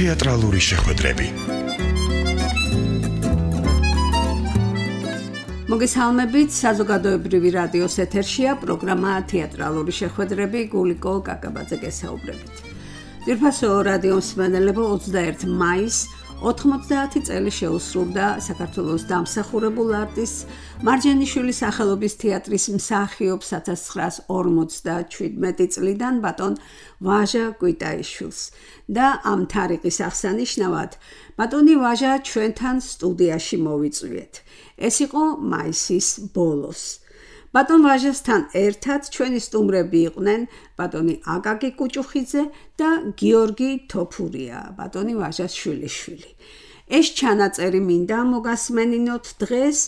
თეატრალური შეხვედრები. მოგესალმებით, საზოგადოებრივი რადიოს ეთერშია პროგრამა თეატრალური შეხვედრები, გულიკო კაკაბაძე გესაუბრებით. ძვირფასო რადიო მსმენელებო, 21 მაისს 90 წელი შეუსრულდა საქართველოს დამსახურებულ არტისტ მარჯანიშვილის სახელობის თეატრის მსახიობს 1957 წლიდან ბატონ ვაჟა კვიტაიშვილს და ამ თარიღის აღსანიშნავად ბატონი ვაჟა ჩვენთან სტუდიაში მოვიწვიეთ. ეს იყო მაისის ბოლოს. ბატონ ვაჟასთან ერთად ჩვენი სტუმრები იყვნენ ბატონი აკაკი კუჭუხიძე და გიორგი თოფურია, ბატონი ვაჟას შვილიშვილი. ეს ჩანაწერი მინდა მოგასმენინოთ დღეს,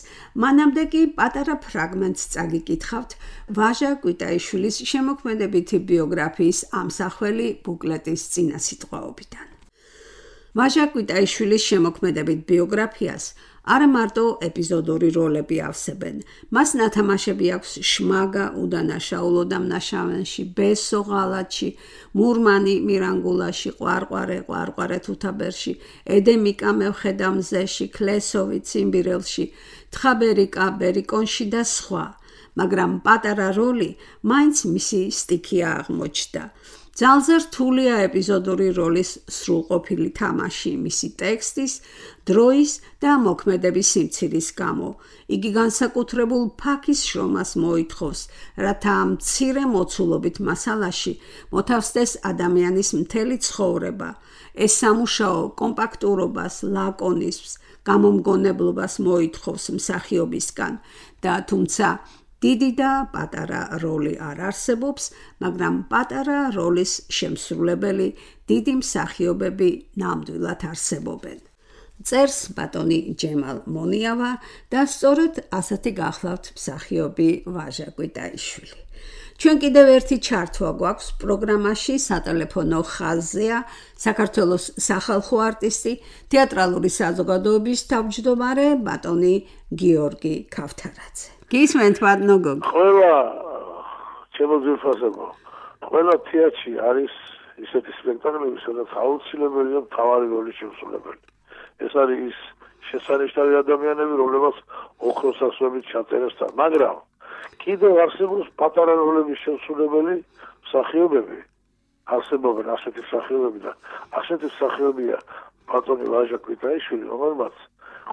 მანამდე კი პატარა ფრაგმენტს წაგიკითხავთ ვაჟა კვიტაიშვილის შემოქმედებითი ბიოგრაფიის ამსახველი ბუკლეტის წინასიტყვაობიდან. ვაჟა კვიტაიშვილის შემოქმედებით ბიოგრაფიას არა მარტო ეპიზოდური როლები ავსებენ. მას ნათამაშები აქვს შმაგა უდანაშაულო დამნაშავენში, ბესო ღალატში, მურმანი მირანგულაში, ყვარყვარე თუთაბერში, ედემიკა მევხედამზეში, კლესოვი ციმბირელში, თხაბერიკა ბერიკონში და სხვა. მაგრამ პატარა როლი მაინც მისი სტიქია აღმოჩნდა. ძალზე რთულია ეპიზოდური როლის სრულყოფილი თამაში მისი ტექსტის, დროის და მოქმედების სიმცირის გამო. იგი განსაკუთრებულ ფაქის შრომას მოითხოვს, რათა ამ მცირე მოცულობით მასალაში მოთავსდეს ადამიანის მთელი ცხოვრება. ეს სამუშაო კომპაქტურობას, ლაკონიზმს, გამომგონებლობას მოითხოვს მსახიობისგან და თუმცა დიდი და პატარა როლი არ არსებობს, მაგრამ პატარა როლის შემსრულებელი დიდი მსახიობები ნამდვილად არსებობენ. წერს ბატონი ჯემალ მონიავა და სწორედ ასეთი გახლავთ მსახიობი ვაჟა კვიტაიშვილი. ჩვენ კიდევ ერთი ჩართვა გვაქვს პროგრამაში, სატელეფონო ხაზზეა საქართველოს სახალხო არტისტი, თეატრალური საზოგადოების თავმჯდომარე ბატონი გიორგი ქავთარაძე. გისმენთ ბატონო გოგო. ყველა ჩემო ძვირფასებო, ყველა თეატრში არის ისეთი სპექტაკლები, სადაც აუცილებელია მთავარი როლის შემსრულებელი. ეს არის ის შესანიშნავი ადამიანები, რომლებსაც ოქროს ასოებით ჩაწერეს თან, მაგრამ კიდევ არსებობს პატარა როლების შემსრულებელი მსახიობები. არსებობენ ასეთი მსახიობები და ასეთი მსახიობია ბატონი ვაჟა კვიტაიშვილი, რომელმაც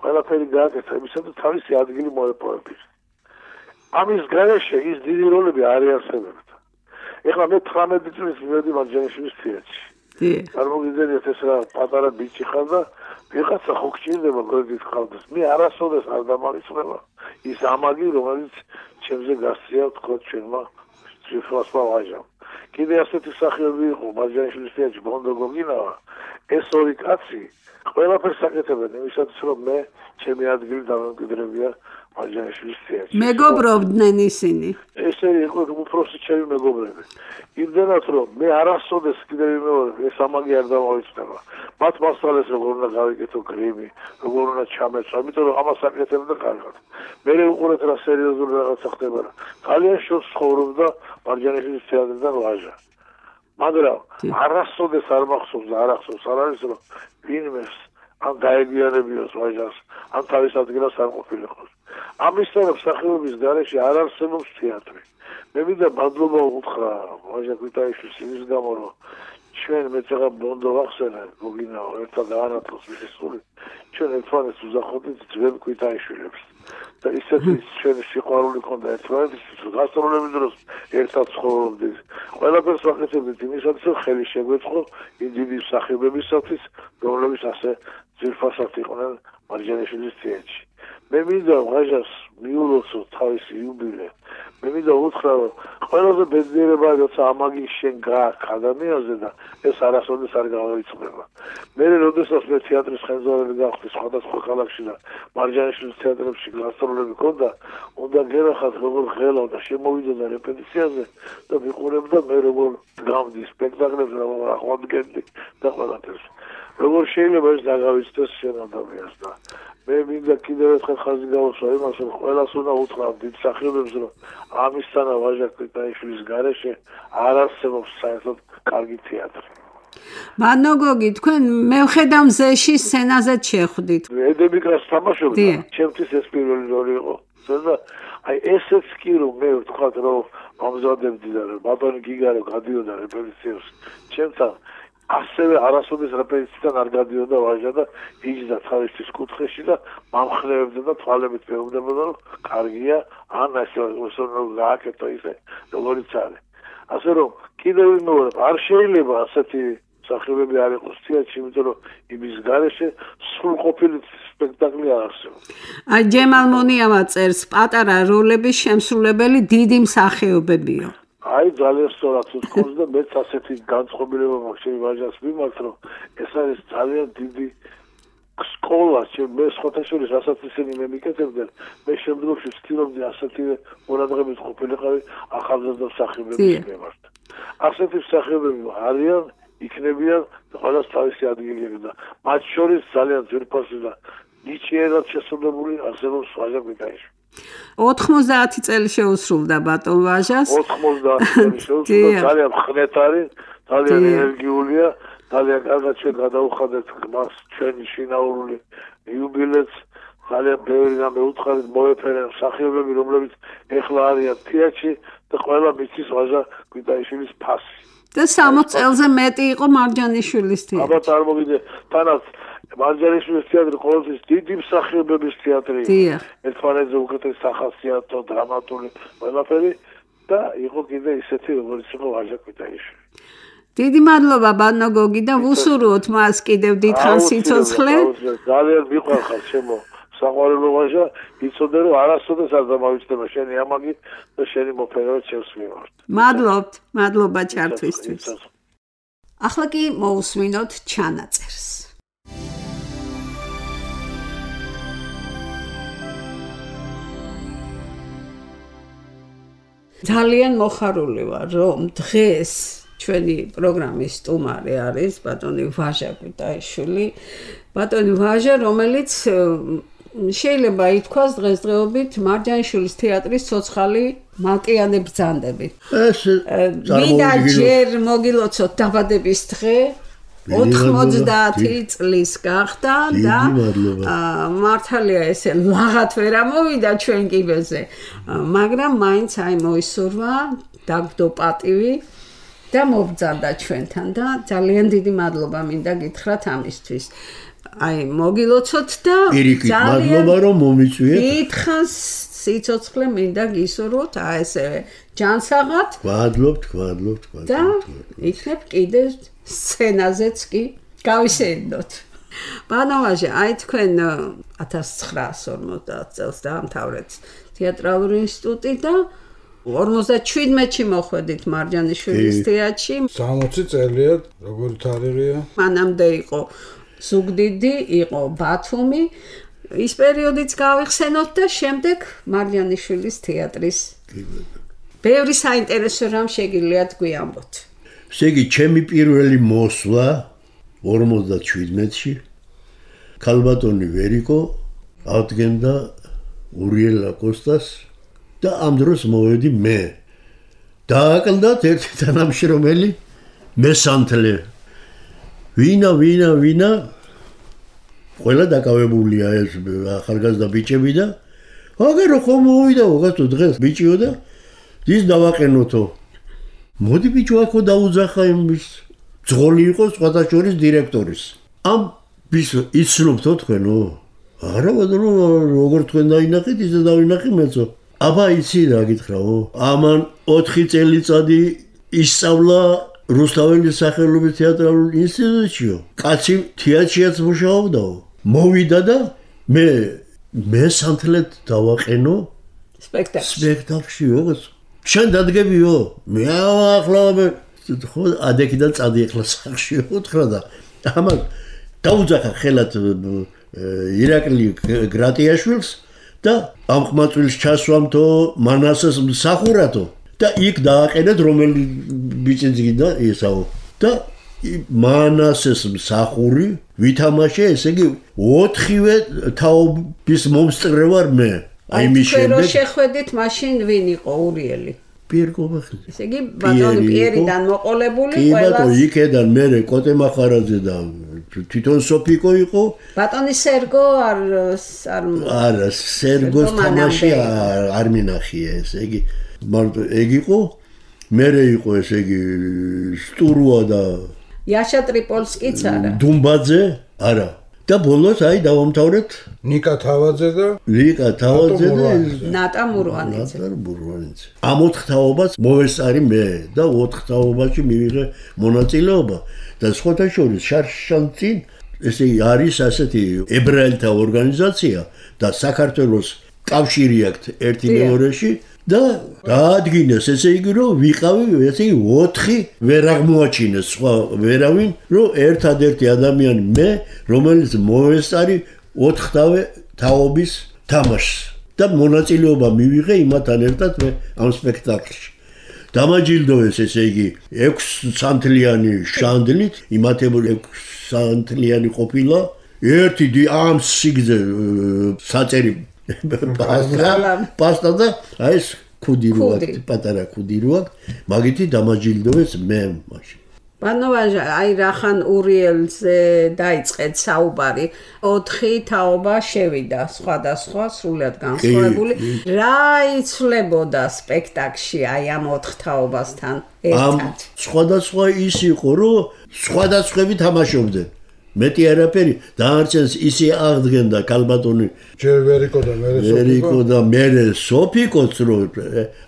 ყველაფერი გააკეთა იმისა და თავისი ადგილი მოეპოვებინა. ამის გარეშე ის დიდი როლები არ იარსებებდა. ეხლა მე 18 წლის მივედი მარჯანიშვილის თეატრში. წარმოგიდგენთ, ეს რა პატარა ბიჭი ხარ და ვიღაცა ხო გჭირდება გორდით ხავდეს. მე არასოდეს არ დამარიცხვება ის ამაგი, რომელიც ჩემზე გასწია თქო ჩვენმა ძვირფასმა ვაჟამ. კიდე ასეთი მსახიობი იყო მარჯანიშვილის თეატრში ბონდო გოგინავა. ეს ორი კაცი ყველაფერს აკეთებენ იმისათვის, რომ მე ჩემი ადგილი დამემკვიდრებია მარჯანიშვილის თეატრში. მეგობრობდნენ ისინი. ესე იყო უფროსი ჩემი მეგობრები. იმდენად რომ მე არასოდეს კიდევ ვიმეორებ, ეს ამაგი არ დამავიწყდება. მათ მასალას როგორ უნდა გავიკეთო გრიმი, როგორ უნდა ჩამეცვა, იმიტომ რომ ამას აკეთებდა კარგად. მე უყურეთ რა სერიოზული რაღაცა ხდება რა. ძალიან შორს ცხოვრობდა მარჯანიშვილის თეატრიდან ვაჟა. მაგრამ არასოდეს არ მახსოვს და არ ახსოვს არ არის რომ ვინმეს ან დაეგიანებიოს ვაჟას, ან თავის ადგილას არ ყოფილიყოს. ამისთანავე მსახიობის გარეშე არ არსებობს თეატრი. მე მინდა მადლობა უთხრა ვაჟა კვიტაიშვილს იმის გამო, რომ ჩვენ მეცაღა ბონდო ვახსენე გოგინაო, ერთად დაანათლოს მისი სული. ჩვენ ერთმანეთს უზახოდით ძველ კვიტაიშვილებს. და ისეთი ჩვენი სიყვარული ქონდა ერთმანეთისთვის, რომ გასტროლების დროს ერთად ცხოვრობდით. ყველაფერს ვაკეთებდით იმისათვის, რომ ხელი შეგვეწყო იმ დიდი მსახიობებისათვის, რომლებიც ასე ძვირფასად იყვნენ მარჯანიშვილის თეატრში. მე მინდა ვაჟას მიულოცო თავისი იუბილე. მე მინდა უთხრა, რომ ყველაზე ბედნიერება როცა ამაგი შენ გააქვს ადამიანზე და ეს არასოდეს არ გავაიწყდება. მე როდესაც მე თეატრის ხელმძღვანელი გავხდი სხვადასხვა ქალაქში და მარჯანიშვილის თეატრებში გასტროლები ქონდა, უნდა გერახათ როგორ ღელა და შემოვიდოდა რეპეტიციაზე და ვიყურებდა მე როგორ გავდი სპექტაკლებზე, როგორ აღვადგენდი და ყველაფერს. როგორ შეიძლება ეს დაგავიწყდეს შენ ადამიანს და მე მინდა კიდევ ერთხელ ხაზი გავუსვა იმას, რომ ყველას უნდა უთხრა დიდ მსახიობებს, რომ ამისთანა ვაჟა კვიტაიშვილის გარეშე არ არსებობს საერთოდ კარგი თეატრი. მანოგოგი თქვენ მევხედა მზეში სცენაზე შეხვდით. ედემიკას თამაშობდა, ჩემთვის ეს პირველი როლი იყო. და აი ესეც კი რომ მე ვთქვათ რომ მომზადებდი და ბატონი გიგარო გადიოდა რეპეტიციებს ჩემთან ასევე არასოდეს რეპეტიციიდან არ გადიოდა ვაჟა და იჯდა თავისთვის კუთხეში და მომხნევებდა და თვალებით მეუბნებოდა რომ კარგია ან ასე რომ გააკეთო ისე როგორიც არის ასე რომ კიდევ ვიმეორებ არ შეიძლება ასეთი სახეობები არ იყოს თეატრში იმიტომ რომ იმის გარეშე სრულყოფილი სპექტაკლი არ არსებობს აი ჯემალ მონიამა წერს პატარა როლების შემსრულებელი დიდი მსახიობებია აი ძალიან სწორად თქოს და მეც ასეთი განწყობილება მაქვს ჩემი ვაჟას მიმართ რომ ეს არის ძალიან დიდი სკოლა მე სხვათა შორის რასაც ისინი მე მიკეთებდნენ მე შემდგომში ვცდილობდი ასეთივე ყურადღებით ყოფილიყავი ახალგაზრდა მსახიობების მიმართ ასეთი მსახიობები არიან იქნებიან ყველას თავისი ადგილი და მათ შორის ძალიან ძვირფასი და ნიჭიერად შესრულებული არსებობს ვაჟა კვიტაიშვილი 90 წელი შეუსრულდა ბატონ ვაჟას 90 წელი შეუსრულდა ძალიან ხნეთ არის ძალიან ენერგიულია ძალიან კარგად ჩვენ გადავუხადეთ მას ჩვენი შინაურული იუბილეც ძალიან ბევრი და მეუთხარით მოეფერენ მსახიობები რომლებიც ეხლა არიან თეატრში და ყველა მიცის ვაჟა კვიტაიშვილის ფასი და 60 წელზე მეტი იყო მარჯანიშვილის თეატრი აბა წარმოგიდე თანაც მარჯანიშვილის თეატრი ყოველთვის დიდი მსახიობების თეატრია ერთმანეთზე უკეთეს სახასიათო დრამატული ყველაფერი და იყო კიდე ისეთი როგორც იყო ვაჟა კვიტაიშვილი დიდი მადლობა ბანოგოგი და ვუსურვოთ მას კიდევ დიდხანს სიცოცხლე ძალიან მიყვარხარ ჩემო საყვარელო ვაჟა იცოდე რომ არასოდეს არ დამავიწყდება შენი ამაგი და შენი მოფერება ჩემს მიმართ მადლობა ჩართვისთვის ახლა კი მოусმინოთ ჩანაწერს ძალიან მოხარული ვარ რომ დღეს ჩვენი პროგრამის სტუმარი არის ბატონი ვაჟა კვიტაიშვილი ბატონი ვაჟა რომელიც შეიძლება ითქვას დღესდღეობით მარჯანიშვილის თეატრის ცოცხალი მალკიანი ბრძანდები ვიდა ჯერ მოგილოცოთ დაბადების დღე 90 წლის გახდა და მართალია ესე ლაღად ვერ ამოვიდა ჩვენ კიბეზე მაგრამ მაინც აი მოისურვა დაგდო პატივი და მობრძანდა ჩვენთან და ძალიან დიდი მადლობა მინდა გითხრათ ამისთვის აი მოგილოცოთ და ძალიან მადლობა რომ მომიწვიეთ დიდხანს სიცოცხლე მინდა გისურვოთ აი ესე ჯანსაღად ვადლობთ და იქნებ კიდე სცენაზეც კი გავისეირდოთ ბანოვაჟე აი თქვენ 1950 წელს დაამთავრეთ თეატრალური ინსტიტუტი და 57-ში მოხვედით მარჯანიშვილის თეატრში 60 წელია როგორი თარიღია მანამდე იყო ზუგდიდი იყო ბათუმი ის პერიოდიც გავიხსენოთ და შემდეგ მარჯანიშვილის თეატრის ბევრი საინტერესო რამ შეგიძლიათ გვიამბოთ ესე იგი ჩემი პირველი მოსვლა 57-ში ქალბატონი ვერიკო ადგენდა ურიელა კოსტას და ამ დროს მოვედი მე დააკლდათ ერთი თანამშრომელი მესანთლე ვინა ყველა დაკავებულია ეს ახალგაზრდა ბიჭები და აგერო ხომ მოვიდა უღათო დღეს ბიჭიო და ის დავაყენოთო მოდი ბიჭო აქო დაუძახა იმის ძღოლი იყო სხვათა შორის დირექტორის ამ ვის იცნობთო თქვენო არა ბატონო როგორ თქვენ დაინახეთ ისე დავინახე მეცო აბა იცი რა გითხრაო ამან 4 წელიწადი ისწავლა რუსთაველის სახელობის თეატრალურ ინსტიტუტშიო კაცი თეატრშიაც მუშაობდაო მოვიდა და მე სანთლეთ დავაყენო სპექტაკლში ოღონდ შენ დადგებიო მე ახლა ხო ადექიდან წადი ახლა სახში უთხრა და ამან დაუძახა ხელად ირაკლი გრატიაშვილს და ამ ხმაწვილს ჩასვამთო მანასეს მსახურათო და იქ დააყენეთ რომელი ბიჭი ძგიდა ისაო და მანასეს მსახური ვითამაშე ესე იგი 4-ვე თაობის მომსწრე ვარ მე აი მის შემდეგ შეხვედით მაშინ ვინ იყო ურიელი პიერ კობახიძე. ესე იგი ბატონი პიერიდან მოყოლებული კი ბატონო, იქედან მე კოტე მახარაძე და თვითონ სოფიკო იყო. ბატონი სერგო არა, სერგოს თამაში არ მინახია, ესე იგი მარტო ეგ იყო. მე იყო ესე იგი სტურუა და იაშა ტრიპოლსკიც არა. დუმბაძე, არა. და ბოლოს დავამთავრეთ ნიკა თავაძე და ნატა მურვანიძე. ამ 4 თაობას მოვესწარი მე და 4 თაობაში მივიღე მონაწილეობა და სხვათა შორის შარშანცინ ესე არის ასეთი ებრაელთა ორგანიზაცია და საქართველოს კავშირი აქვს ერთი მეორეში და დაადგინეს ესე იგი რომ ვიყავი ესე იგი 4 ვერ აღმოაჩინეს სხვა ვერავინ რომ ერთადერთი ადამიანი მე რომელიც მოვესწარი 4 თაობის თამაშს და მონაწილეობა მივიღე იმათთან ერთად მე ამ სპექტაკლში დამაჯილდოვეს ესე იგი 6 სანთლიანი შანდლით იმათებული 6 სანთლიანი ყოფილა ერთი ამ სიგზე საწერი პასტა და აი ეს ქუდი როა პატარა ქუდი როა მაგითი დამაჯილდოვეს მე მაშინ ბანოვაჟა აი რახან ურიელზე დაიწყეთ საუბარი 4 თაობა შევიდა სხვადასხვა სრულად განსხვავებული რა იცვლებოდა სპექტაკლში აი ამ 4 თაობასთან ერთად სხვადასხვა ის იყო რომ სხვადასხვები თამაშობდნენ მეტი არაფერი დაარჩენს ისე აღდგენდა კალბატონი ჯერ ვერიკო და მერე სოფიკოც რო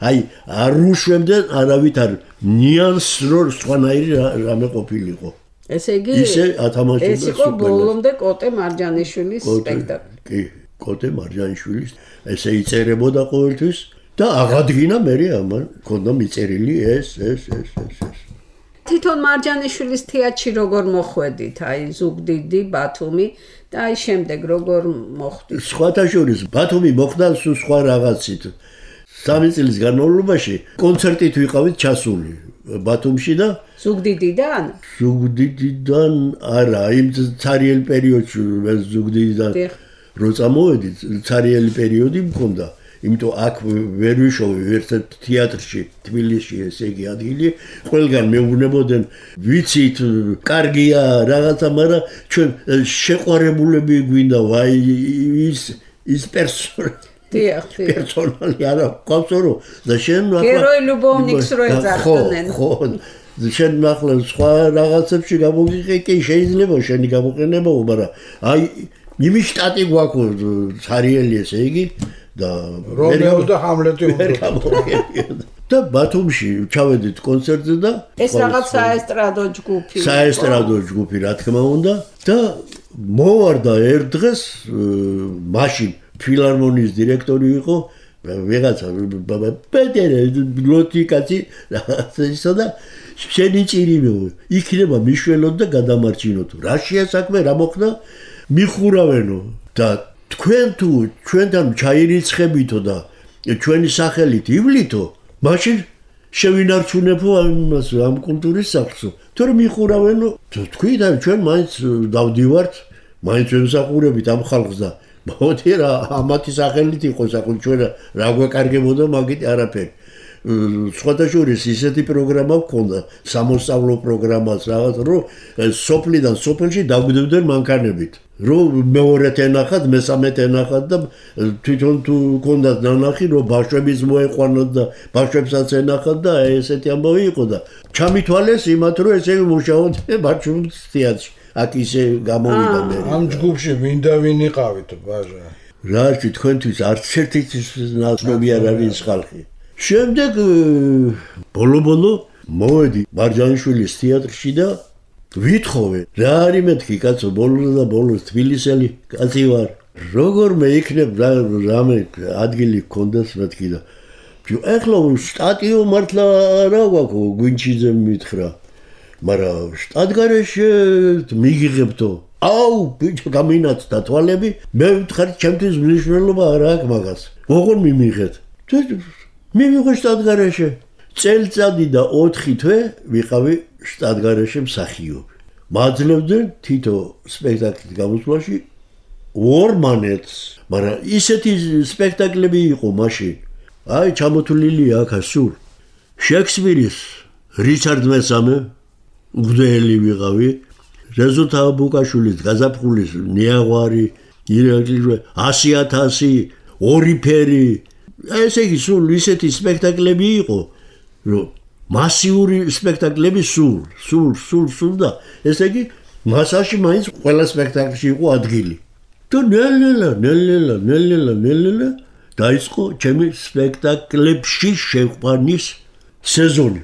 აი არ უშვებდნენ არავითარ ნიანს რო სხვანაირი რამე ყოფილიყო ესე იგი ეს იყო ბოლომდე კოტე მარჯანიშვილის სპექტაკლი კი კოტე მარჯანიშვილის ესე იწერებოდა ყოველთვის და აღადგინა მერე ამან ქონდა მიწერილი ეს თვითონ მარჯანიშვილის თეატრში როგორ მოხვედით აი ზუგდიდი ბათუმი და აი შემდეგ როგორ მოხვდით სხვათა შორის ბათუმი მოხდა სხვა რაღაცით 3 წლის განმავლობაში კონცერტით ვიყავით ჩასული ბათუმში და ზუგდიდიდან არა იმ ცარიელ პერიოდში ზუგდიდიდან რო წამოვედით ცარიელი პერიოდი მქონდა იმიტომ აქ ვერ ვიშოვე ერთ თეატრში თბილისში ესე იგი ადგილი ყველგან მეუბნებოდნენ ვიცით კარგია რაღაცა მაგრამ ჩვენ შეყვარებულები გვინდა ვაი ის პერსონალი არა ყავსო და შენ გეროი ლუბოვნიკს რო ეძახდნენ ხო შენ ახლა სხვა რაღაცებში გამოგიყი შეიძლება შენი გამოყენებაო მაგრამ აი იმის შტატი გვაქვს ცარიელი ესე იგი და რომეო და ჰამლეტი უნდა და ბათუმში ჩავედით კონცერტზე და ეს რაღაც საესტრადო ჯგუფი რა თქმა უნდა და მოვარდა ერთ დღეს მაშინ ფილარმონიის დირექტორი იყო ვიღაცა პეტერე ბიბლიოთეკაში რაღაცა და შენი ჭირიმო იქნება მიშველოთ და გადამარჩინოთ რა შეასაქმე რა მოხდა მიხურავენო და თქვენ თუ ჩვენთან ჩაირიცხებითო და ჩვენი სახელით ივლითო მაშინ შევინარჩუნებო ამ კულტურის სახლსო თორემ მიხურავენო თქვი და ჩვენ მაინც დავდივართ მაინც ვემსახურებით ამ ხალხს და მოდი რა ამათი სახელით იყოს ახლა ჩვენ რა გვეკარგებოდა მაგით არაფერი სხვათა შორის ისეთი პროგრამა გქონდა სამოსწავლო პროგრამაც რაღაც რომ სოფლიდან სოფელში დაგვდებდნენ მანქანებით რომ მეორეთ ენახად მესამეთ ენახად და თვითონ თუ გქონდათ ნანახი რომ ბავშვების მოეყვანოთ და ბავშვებსაც ენახად და ესეთი ამბავი იყო და ჩამითვალეს იმათ რომ ესე მუშაობდნენ ბავშვების თეატრში აქ ისე გამოვიდა მე ამ ჯგუფში მინდა ვინ იყავით ბაჟა რა თქვენთვის არც ერთი ნაცნობი არ არის ხალხი შემდეგ ბოლო მოვედი მარჯანიშვილის თეატრში და ვითხოვე რა არის მეთქი კაცო ბოლოს თბილისელი კაცი ვარ როგორმე იქნებ რამე ადგილი გქონდეს მეთქი და ეხლა შტატიო მართლა რა გვაქვს გვინჩიძე მითხრა მაგრამ შტატგარეშე მიგიღებთო აუ ბიჭო გამინაცდა თვალები მე ვთხარ ჩემთვის მნიშვნელობა არ აქვს მაგას როგორ მიმიღეთ მივიღე შტატგარეშე წელწადი და 4 თვე ვიყავი შტატგარეშე მსახიობი მაძლევდნენ თითო სპექტაკლის გამოსვლაში 2 მონეტს მაგრამ ისეთი სპექტაკლები იყო მაშინ აი ჩამოთვლილი აქ სულ შექსპირის რიჩარდ მესამე უგდელი ვიყავი რეზო თაბუკაშვილის გაზაფხულის ნიაღვარი ირაკლი 100,000 ორი ფერი ესე იგი სულ ისეთი სპექტაკლები იყო რომ მასიური სპექტაკლები სულ და ესე იგი მასაში მაინც ყველა სპექტაკლში იყო ადგილი და ნელ-ნელა დაიწყო ჩემი სპექტაკლებში შეყვანის სეზონი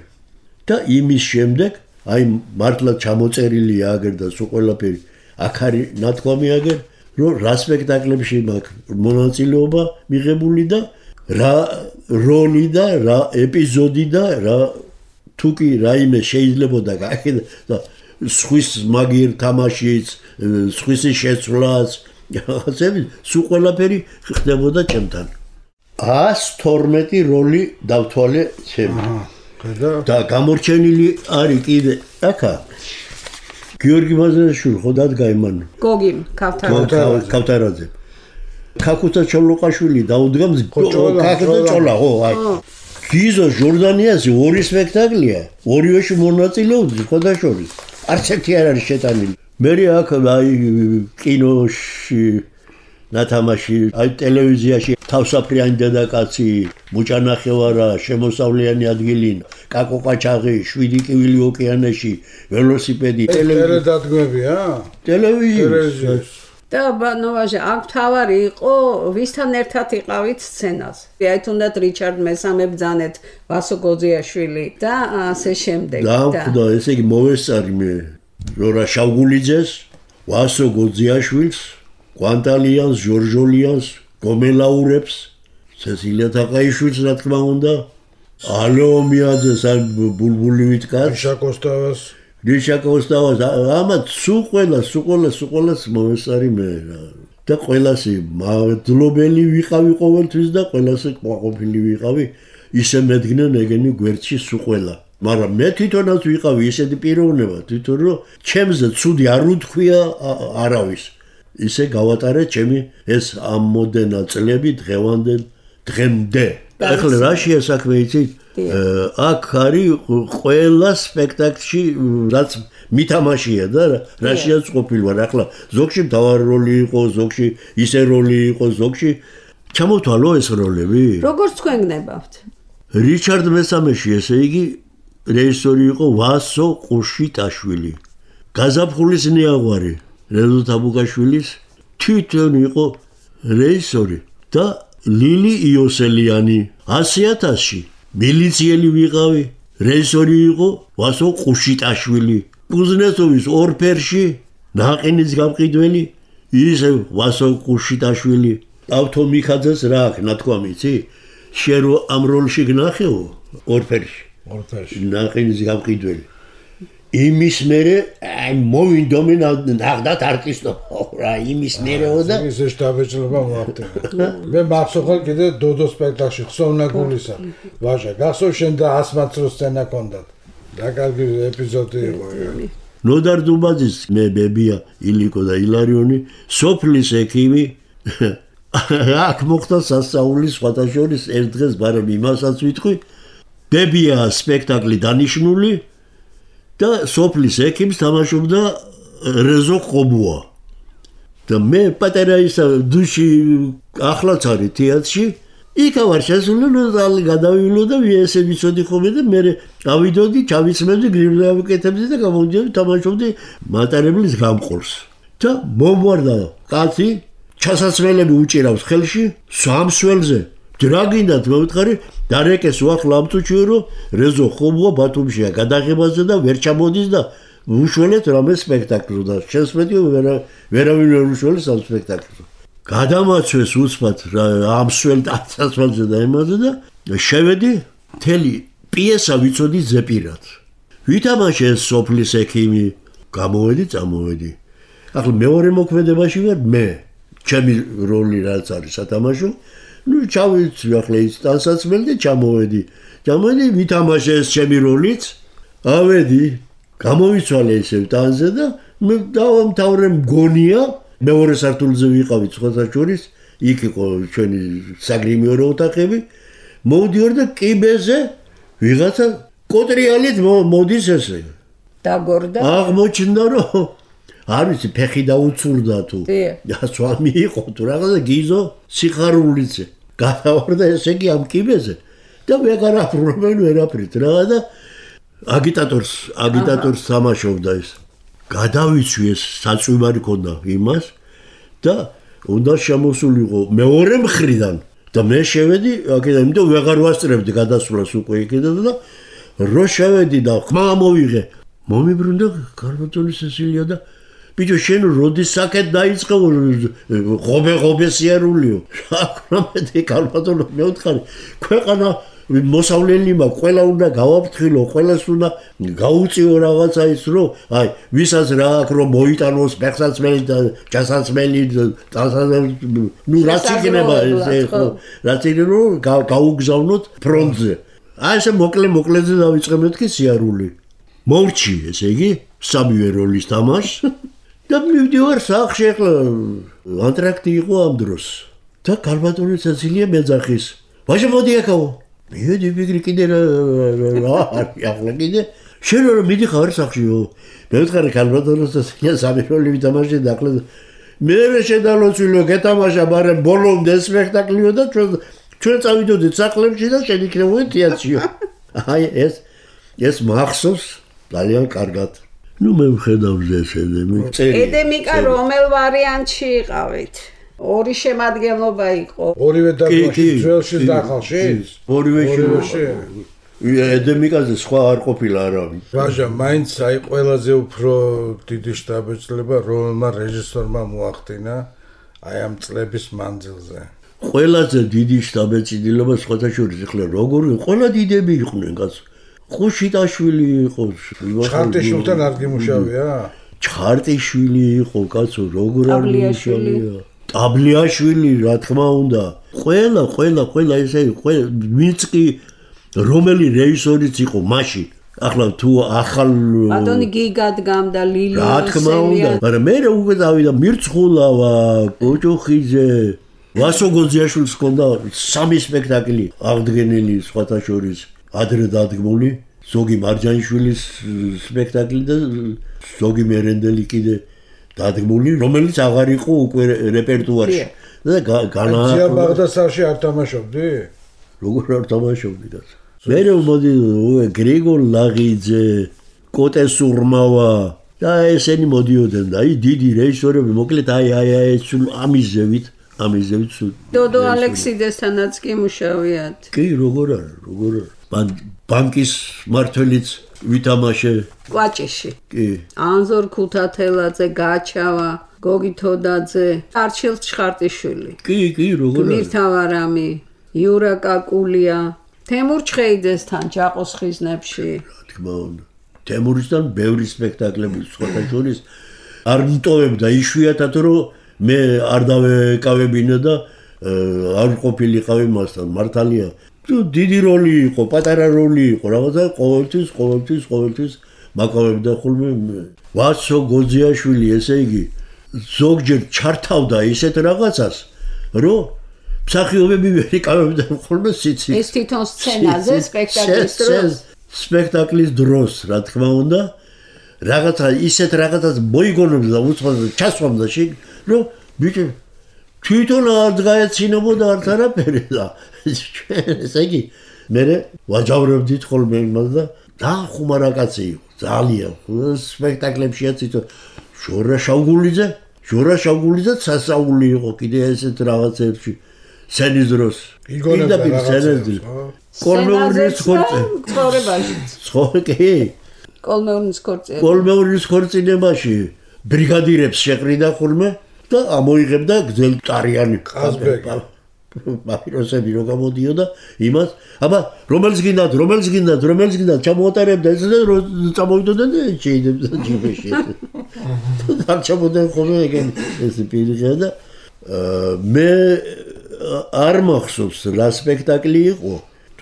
და იმის შემდეგ აი მართლა ჩამოწერილია აგერ და სულ ყველაფერი აქ არის ნათქვამი აგერ რომ რა სპექტაკლებში მაქვს მონაწილეობა მიღებული და რა როლი და რა ეპიზოდი და რა თუკი რაიმე შეიძლება და სხვის მაგერ თამაშიც სხვის შეცვლაც რაღაცები სულ ყველაფერი ხდებოდა ჩემთან 112 როლი დავთვალე ჩემი და გამორჩენილი არის კიდე აქა გიორგი მაზრაშვილი ხო დადგა იმან გოგიმ ქავთარაძე ქაკუცა ჩოლოყაშვილი დაუდგა ქაკუცა ჩოლა ხო გიზო ჟორდანიაზე ორი სპექტაკლია ორივეში მონაწილეობდი ხოდაშორის არც ერთი არ არის შეტანილი მე აქ აი კინოში ნათამაში აი ტელევიზიაში თავსაფრიანი დედაკაცი მუჭანახევარა შემოსავლიანი ადგილი კაკო ყაჩაღი 7 კივილი ოკეანეში ველოსიპედი ტელედადგმებია ტელევიზიაში და ნოვაჟე აქ თავარი იყო ვისთან ერთად იყავით სცენაზე აი თუნდაც რიჩარდ მესამე ბძანეთ ვასო გოძიაშვილი და ასე შემდეგ და ესე იგი მოვესწარი მე რორა შავგულიძეს ვასო გოძიაშვილს კვანტალიანს ჟორჟოლიანს გომელაურებს ცეცილია თაყაიშვილს რა თქმა უნდა ალეომიაძეს აი ბულბული ვითკაც ნიშა კოსტავას ამათ სულ ყველას მოვესწარი მე და ყველასი მადლობელი ვიყავი ყოველთვის და ყველასი ყვაყოფილი ვიყავი ისე მედგნენ ეგენი გვერდში სულ ყველა მაგრამ მე თვითონაც ვიყავი ისეთი პიროვნება თვითონ რომ ჩემზე ცუდი არ უთქვია არავის ისე გავატარე ჩემი ეს ამოდენა წლები დღემდე ახლა რა შეასაქმე იცით აქ არის ყველა სპექტაკლში რაც მითამაშია და რა შეაწყობილი ვარ ახლა ზოგში მთავარი როლი იყო ზოგში ისე როლი იყო ზოგში ჩამოთვალო ეს როლები როგორც თქვენ გნებავთ რიჩარდ მესამეში ესე იგი რეჟისორი იყო ვასო ყუშიტაშვილი გაზაფხულის ნიაღვარი რეზო თაბუკაშვილის თვითონ იყო რეჟისორი და ლილი იოსელიანი 100,000-ში მილიციელი ვიყავი რეჟისორი იყო ვასო ყუშიტაშვილი კუზნეცოვის ორფერში ნაყინის გამყიდველი ისე ვასო ყუშიტაშვილი ავთომიხაძეს რა აქვს ნათქვამი იცი შენ რო ამ როლში გნახეო ორფერში ნაყინის გამყიდველი იმის მერე მოვინდომი ნახდათ არტისტო რა იმის მერეო და ისე შტაბეჭლება მოახდინა მე მახსოვს კიდე დოდო სპექტაკლში ხსოვნაგულისა ვაჟა გახსოვ შენ და ასმაცრო სცენა ქონდათ და კარგი ეპიზოდი იყო ნოდარ დუბაძის მე ბებია ილიკო და ილარიონი სოფლის ექიმი აქ მოხდა სასწაული სხვათა შორის ერთ დღეს ბარემ იმასაც ვიტყვი ბებია სპექტაკლი დანიშნული და სოფლის ექიმს თამაშობდა რეზო ყობუა და მე პატარა ისა დუში ახლაც არის თეატრში იქა ვარ შესული და გადავივლო და ესე ვიცოდი ხოლმე და მე ავიდოდი ჩავიცმევდი გრიბლავკეთებდი და გამოდიოდი თამაშობდი მატარებლის გამყოლს და მომვარდა კაცი ჩასასვლელები უჭირავს ხელში სამსველზე რა გინდათ მოვითხარი დარეკეს უახლა ამწუჩიო რომ რეზო ხობუა ბათუმშია გადაღებაზე და ვერ ჩამოდის და უშველეთ რამე სპექტაკლს და შესმედიო ვერავინ ვერ უშველეს ამ სპექტაკლს გადამაცვეს უცბად ამსველ დასასვლელზე და იმაზე და შევედი მთელი პიესა ვიცოდი ზეპირად ვითამაშე სოფლის ექიმი წამოვედი ახლა მეორე მოქმედებაში ვარ მე ჩემი როლი რაც არის სათამაშო ჩავიცვი ახლა ის ტანსაცმელი და ჩამოვედი ვითამაშე ეს ჩემი როლიც ავედი გამოვიცვალე ისევ ტანზე და მე დავამთავრე მგონია მეორე სართულზე ვიყავი სხვათა შორის იქ იყო ჩვენი საგრიმიორო ოთახები მოვდიოდი და კიბეზე ვიღაცა კოტრიალით მოდის ესე. დაგორდა. აღმოჩნდა რომ არ ვიცი ფეხი დაუცურდა თუ. სვამი იყო თუ რაღაცა გიზო სიხარულიце. გადავარდა ესე იგი ამ კიბეზე და ვეღარ აფრობენ ვერაფრით რა და აგიტატორს თამაშობდა ეს. გადავიცვი ეს საწვიმარი ქონდა იმას და უნდა შემოსულიყო მეორე მხრიდან და მე შევედი აქედან იმიტომ ვეღარ ვასწრებდი გადასვლას უკვე იქიდან და რო შევედი და ხმა მოვიღე მომიბრუნდა კარბატონის სესილია და ბიჭო შენ როდის საკეთ დაიწყო ღობე სიარულიო საკრამეტი კარბატონო მეუთხარი ქვეყანა მოსავლელი მაქვს ყველა უნდა გავაფრთხილო ყველას უნდა გაუწიო რაღაცა ის რომ აი ვისაც რა აქვს რომ მოიტანოს ფეხსაცმელი და ჯასაცმელი ნუ რაც იქნება ესე ხო რაც იქნება რომ გაუგზავნოთ ფრონტზე აი ესე მოკლეზე დავიწყე მეთქი სიარული მორჩი ესე იგი სამივე როლის თამაშს და მივდივარ სახში ახლა ანტრაქტი იყო ამ დროს და კარბატონის საცილია მეძახის ვაჟა მოდი აკავო მიდი ვიგრი კიდე რა ახლა კიდე შენ რომ მიდიხარ სახშიო მე ვთხარი კარბატონის საცილია სამი როლი ვითამაშე და ახლა მე შედალოცვილო გეთამაშა მაგრამ ბოლომდე სპექტაკლიო და ჩვენ წავიდოდით სახლებში და შენ იქნებოდი თეატრშიო აი ეს მახსოვს ძალიან კარგად ნუ მე ვხედავ ეს ედემიკა რომელ ვარიანტში იყავით? ორი შემადგენლობა იყო. ორივე დაბაში ძველში და ახალში? ორივეში. ედემიკაზე სხვა არ ყოფილა არავინ. ვაჟა, მაინც აი ყველაზე უფრო დიდი შთაბეჭდილება რომელმა რეჟისორმა მოახდინა აი ამ წლების მანძილზე. ყველაზე დიდი შთაბეჭდილება სხვათა შორის ახლა როგორ ყველა დიდები იყვნენ კაცო. ხუშიტაშვილი იყო. ჩხარტიშვილთან არ გიმუშავია? ჩხარტიშვილი იყო კაცო, როგორ არ გიმუშავია. ტაბლიაშვილი, რა თქმა უნდა. ყველა ესე ვინც კი რომელი რეჟისორიც იყო მაშინ. ახლა თუ ახალ ბატონი გიგადგამდა ლილი რა თქმა უნდა, მაგრამ მე უკვე დავიდა მირცხულავა, კოჭოხიძე, ვასო გოძიაშვილს ჰქონდა 3 სპექტაკლი აღდგენილი სხვათა შორის. ადრე დადგმული ზოგი მარჯანიშვილის სპექტაკლი და ზოგი მერენდელი კიდე დადგმული რომელიც აღარ იყო უკვე რეპერტუარში და განაახლა ბაღდასარში არ თამაშობდი? როგორ არ თამაშობდი და მე მოდი გრიგოლ ლაღიძე კოტე სურმავა და ესენი მოდიოდნენ და აი დიდი რეჟისორები მოკლედ აი სულ ამიზევით დოდო ალექსიდესთანაც კი მუშაობთ კი როგორ არა ბანკის მართველიც ვითამაშე კვაჭიში კი ანზორ ქუთათელაძე გაჩავა გოგი თოდაძე არჩილ ჩხარტიშვილი კი როგორ მირთავარამი იურა კაკულია თემურ ჩხეიძესთან ჯაყოს ხიზნებში რა თქმა უნდა თემურისთან ბევრი სპექტაკლები სხვათა შორის არ მტოვებდა იშვიათად რომ მე არ დავეკავებინა და არ ყოფილიყავი მასთან მართალია დიდი როლი იყო, პატარა როლი იყო, რაღაცა ყოველთვის მაკავებდა ხოლმე ვასო გოძიაშვილი, ესე იგი ზოგჯერ ჩართავდა ისეთ რაღაცას, რომ მსახიობები ვერ იკავებდნენ ხოლმე სიცივეს. ეს თვითონ სცენაზე სპექტაკლის დროს. სპექტაკლის დროს, რა თქმა უნდა, რაღაცა ისეთ რაღაცას მოიგონებდა და უცხოეთში ჩასვამდა შე, რომ ბიჭო თვითონ არ გაეცინებოდა არც არაფერი და ესე იგი მე ვაჯავრებდით ხოლმე იმას და დახუმარა კაცი იყო ძალიან სპექტაკლებშიაც იცო ჟორა შავგულიძე სასაული იყო კიდე ესეთ რაღაცებში სცენის დროს იგონებდა რაღაცებს კოლმეურის ქორწინებაში ბრიგადირებს შეყრიდა ხოლმე და ამოიღებდა გძელტარიანი პაპიროსები რო გამოდიოდა იმას აბა რომელს გინდათ ჩამოატარებდა ეს და წამოვიდოდნენ და შეიძლება ჯიბეში და ჩამოდენ ხოლმე ეგენი ეს პირიღია და მე არ მახსოვს რა სპექტაკლი იყო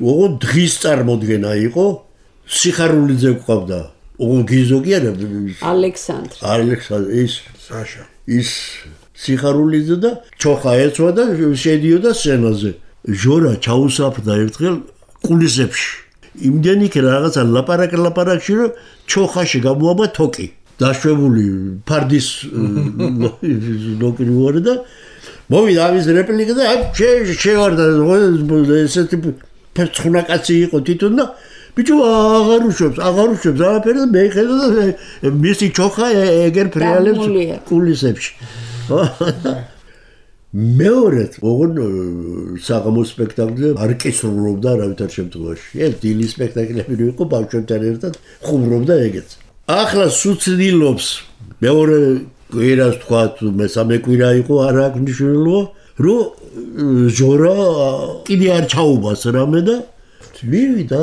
ოღონდ დღის წარმოდგენა იყო სიხარულიძე გვყავდა ოღონდ გიზო კი არა ალექსანდრ ის საშა ის სიხარულიძე და ჩოხა ეცვა და შედიოდა სცენაზე. ჟორა ჩაუსაფრდა ერთხელ კულისებში. იმდენი კი რაღაცა ლაპარაკში რომ ჩოხაში გამოაბა თოკი. დაშვებული ფარდის ნოკრი ვარ და მოვიდა ამის რეპლიკა და შევარდა ესეთი ფერცხუნა კაცი იყო თვითონ და ბიჭო აღარ უშვებს არაფერი და მე ხედავ და მისი ჩოხა ეგერ ფრიალებს კულისებში. მეორედ ოღონ საღამოს სპექტაკლზე არ კისრულობდა რავითარ შემთხვევაში. ეს დილის სპექტაკლები იყო ბავშვებთან ერთად ხუმრობდა ეგეც. ახლა სუცდილობს მეორე კვირას თქვა მესამე კვირა იყო არ აქვს მნიშვნელობა რომ ჟორა კიდე არ ჩაუბას რამე და მივიდა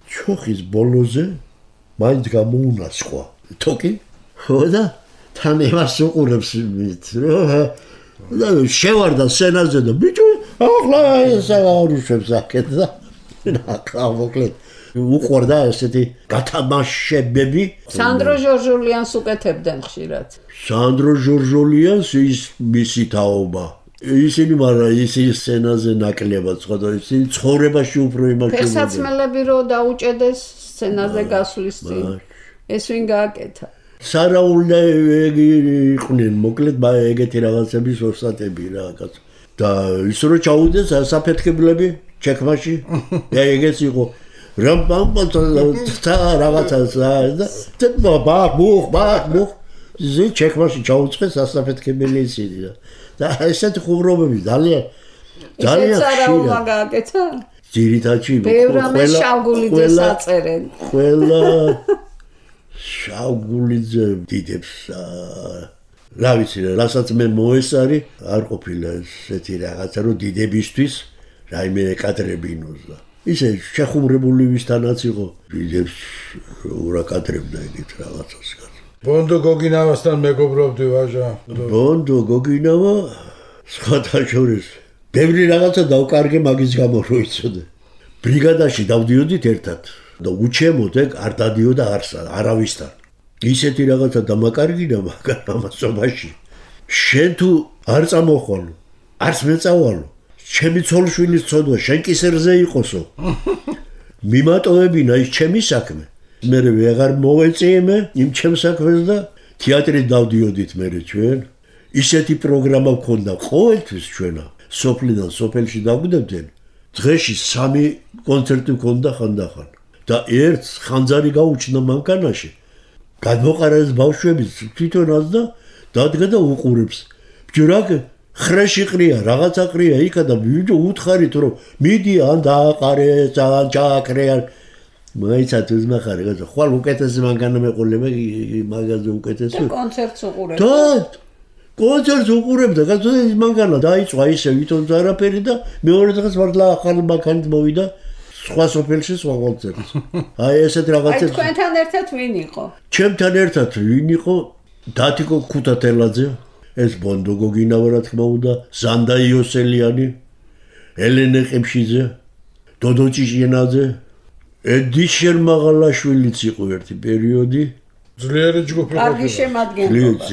ჩოხის ბოლოზე მაინც გამოუნასხვა თოკი ხო და თან ევას უყურებს და შევარდა სცენაზე და ბიჭო ახლა ეს არ უშვებს აქეთ და ახლა მოკლედ უყვარდა ესეთი გათამაშებები. სანდრო ჟორჟოლიანს უკეთებდნენ ხშირად. სანდრო ჟორჟოლიანს ის მისი თაობა. ისინი მაგრამ ისინი სცენაზე ნაკლებად სხვა ისინი ცხოვრებაში უფრო იმაშობდნენ. ფეხსაცმელები რო დაუჭედეს სცენაზე გასვლის წინ. ეს ვინ გააკეთა? სარაულები იყვნენ მოკლედ ეგეთი რაღაცების ოსტატები რა კაცო. და ის რო ჩაუდეს საფეთქებლები ჩექმაში ეგეც იყო. რაღაცა და ბახ ზე ჩექმაში ჩაუწყეს ასაფეთქებელი ისინი და ესეთი ხუმრობები ძალიან სარაულმა გააკეთა? ძირითადში ბევრამეს შავგულიძეს აწერენ. ყველა შავგულიძე დიდებს რა ვიცი რასაც მე მოესარი არ ყოფილა ესეთი რაღაცა რომ დიდებისთვის რაიმე ეკადრებინოს და ისე შეხუმრებული ვისთანაც იყო დიდებს ურაკადრებდა ეგეთ რაღაცას ბონდო გოგინავასთან მეგობრობდი ვაჟა ბონდო გოგინავა სხვათა შორის ბევრი რაღაცა დავკარგე მაგის გამო რო იცოდე ბრიგადაში დავდიოდით ერთად და უჩემოდ ეგ არ დადიოდა არავისთან ისეთი რაღაცა დამაკარგინა მაგრამ ამასობაში შენ თუ არ წამოხვალო არც მე წავალო ჩემი ცოლშვილის ცოდვა შენ კისერზე იყოსო მიმატოვებინა ის ჩემი საქმე მე ვეღარ მოვეწიე იმ ჩემს საქმეს და თეატრი დავდიოდით მე ჩვენ ისეთი პროგრამა გქონდა ყოველთვის ჩვენა სოფლიდან სოფელში დაგვდებდნენ დღეში 3 კონცერტი გქონდა ხანდახან და ერთ ხანძარი გაუჩნდა მანქანაში გადმოყარეს ბავშვები თვითონაც და დადგა და უყურებს ბჯრაკ ხრეში ყრია რაღაცა ყრია იქა და უთხარით რომ მიდი ან დააყარე ძალიან ჩააკრე მაიცად უზმახარი გაზა ხვალ უკეთესი მანქანა მეყოლება მაგაზე უკეთესი კონცერტს უყურებ და კონცერტს უყურებდა გაზა ის მანქანა დაიწვა ისე ვითომ არაფერი და მეორე დღეს მართლა ახალი მანქანით მოვიდა სხვა სოფელში სხვა კონცერტს აი ესეთ რაღაცებს აი თქვენთან ერთად ვინ იყო ჩემთან ერთად ვინ იყო დათიკო ქუთათელაძე ეს ბონდო გოგინავა რა თქმა უნდა ზანდა იოსელიანი ელენე ყიფშიძე დოდო ჭიჭინაძე ედიშერ მაღალაშვილიც იყო ერთი პერიოდი ძლიერი ჯგუფი კარგი შემადგენლობა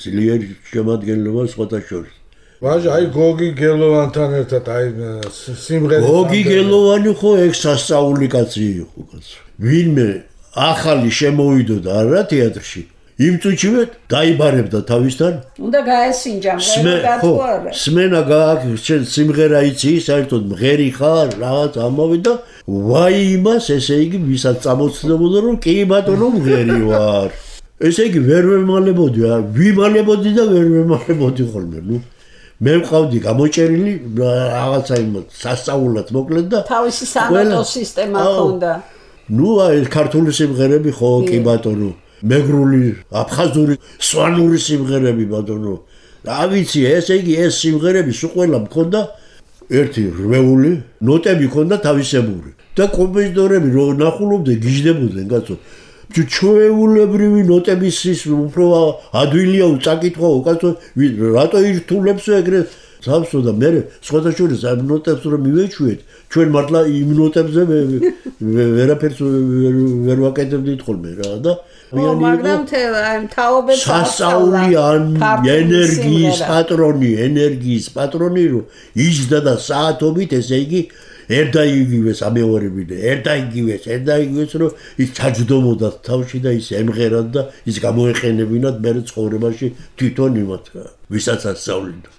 ძლიერი შემადგენლობა სხვათა შორის ვაჟა აი გოგი გელოვანთან ერთად აი სიმღერა გოგი გელოვანი ხო ეგ სასწაული კაცი იყო კაცო ვინმე ახალი შემოვიდოდა არა თეატრში იმ წუთშივე დაიბარებდა თავისთან უნდა გაესინჯა მღერა სმენა გააკეთე სიმღერა იცი საერთოდ მღერი ხარ რაღაც ამოვიდა ვაი იმას ესე იგი ვისაც წამოწდებოდა რომ კი ბატონო მღერი ვარ ესე იგი ვერ ვემალებოდი ვიმალებოდი და ვერ ვემალებოდი ხოლმე ნუ მე მყავდი გამოჭერილი რაღაცა იმ სასწაულად მოკლედ და თავისი სანოტო სისტემა ჰქონდა ნუ აი ქართული სიმღერები ხო კი ბატონო მეგრული აფხაზური სვანური სიმღერები ბატონო რა ვიცი ესე იგი ეს სიმღერები სულ ყველა მქონდა ერთი რვეული ნოტები მქონდა თავისებური და კომპოზიტორები რო ნახულობდნენ გიждდებოდნენ კაცო ჩვეულებრივი ნოტების ის უფრო ადვილია უწაკითხაო კაცო რატო ირთულებს ეგრეთ თავსო და მე სხვათა შორის ამ ნოტებს რომ მივეჩვიეთ ჩვენ მართლა იმ ნოტებზე ვერაფერს ვერ ვაკეთებდით ხოლმე რა და მაგრამ თაობებს სასწაული ენერგიის პატრონი რომ იჯდა და საათობით ესე იგი ერთა იგივეს ამეორებინე, ერთა იგივეს, რომ ის ჩაჯდომოდა თავში და ის ემღერად და ის გამოეყენებინათ მე ცხოვრებაში თვითონ იმათ, ვისაც ასწავლინდა.